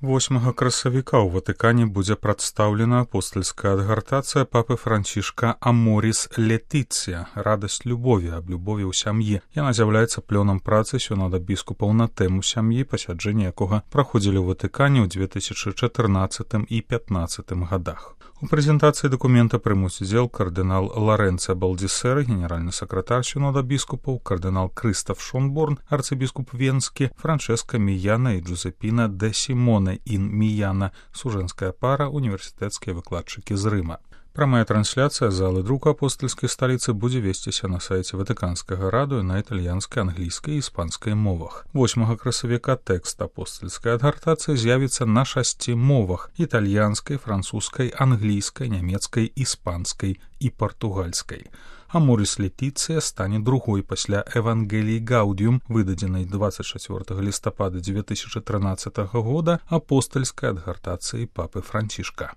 8 красавіка ў Ватыкане будзе прадстаўлена апостальская адгартацыя папы Францішка «Аморис Летиция» – «Радасць любові», аб любові ў сям'і. Яна з'яўляецца плёнам працы сінода біскупаў на тэму сям'і, пасяджэнні якога праходзілі ў Ватыкане ў 2014 і 2015 годах. У прэзентацыі дакумента прымуць удзел кардынал Лоренцо Балдисер, генеральны сакратар сінода біскупаў, кардынал Крыстоф Шонборн, арцыбіскуп Венскі, Франческа Міяна і Джузепіна де Сімоне ін Міяна, сужэнская пара, універсітэцкія выкладчыкі з Рыма. Прамая трансляцыя залы друку апостальскай сталіцы будзе весціся на сайце Ватыканскага радыё на італьянскай, англійскай і іспанскай мовах. 8 красавіка тэкст апостальскай адгартацыі з'явіцца на 6 мовах: італьянскай, французскай, англійскай, нямецкай, іспанскай і партугальскай. «Аморис Летиция» стане другой пасля «Евангеліі Гаудіум», выдадзенай 24 лістапада 2013 года апостальскай адгартацыі папы Францішка.